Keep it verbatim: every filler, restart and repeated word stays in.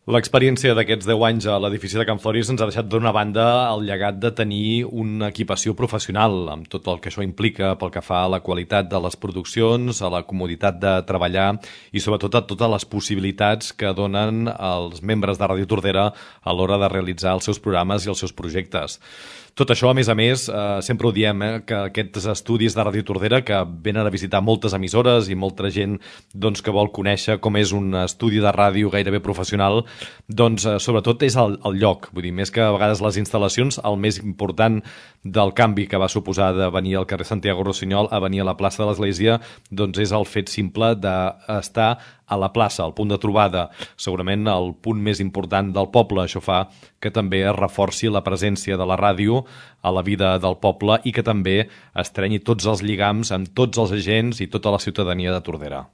L'experiència d'aquests deu anys a l'edifici de Can Floris ens ha deixat d'una banda el llegat de tenir una equipació professional, amb tot el que això implica pel que fa a la qualitat de les produccions, a la comoditat de treballar i sobretot a totes les possibilitats que donen els membres de Ràdio Tordera a l'hora de realitzar els seus programes i els seus projectes. Tot això, a més a més, eh, sempre ho diem, eh, que aquests estudis de Ràdio Tordera, que venen a visitar moltes emissores i molta gent doncs, que vol conèixer com és un estudi de ràdio gairebé professional, doncs eh, sobretot és el, el lloc. Vull dir, més que a vegades les instal·lacions, el més important del canvi que va suposar de venir al carrer Santiago Rossinyol a venir a la plaça de l'Església, doncs és el fet simple d'estar a la plaça, al punt de trobada, segurament el punt més important del poble. Això fa que també es reforci la presència de la ràdio a la vida del poble i que també estrenyi tots els lligams amb tots els agents i tota la ciutadania de Tordera.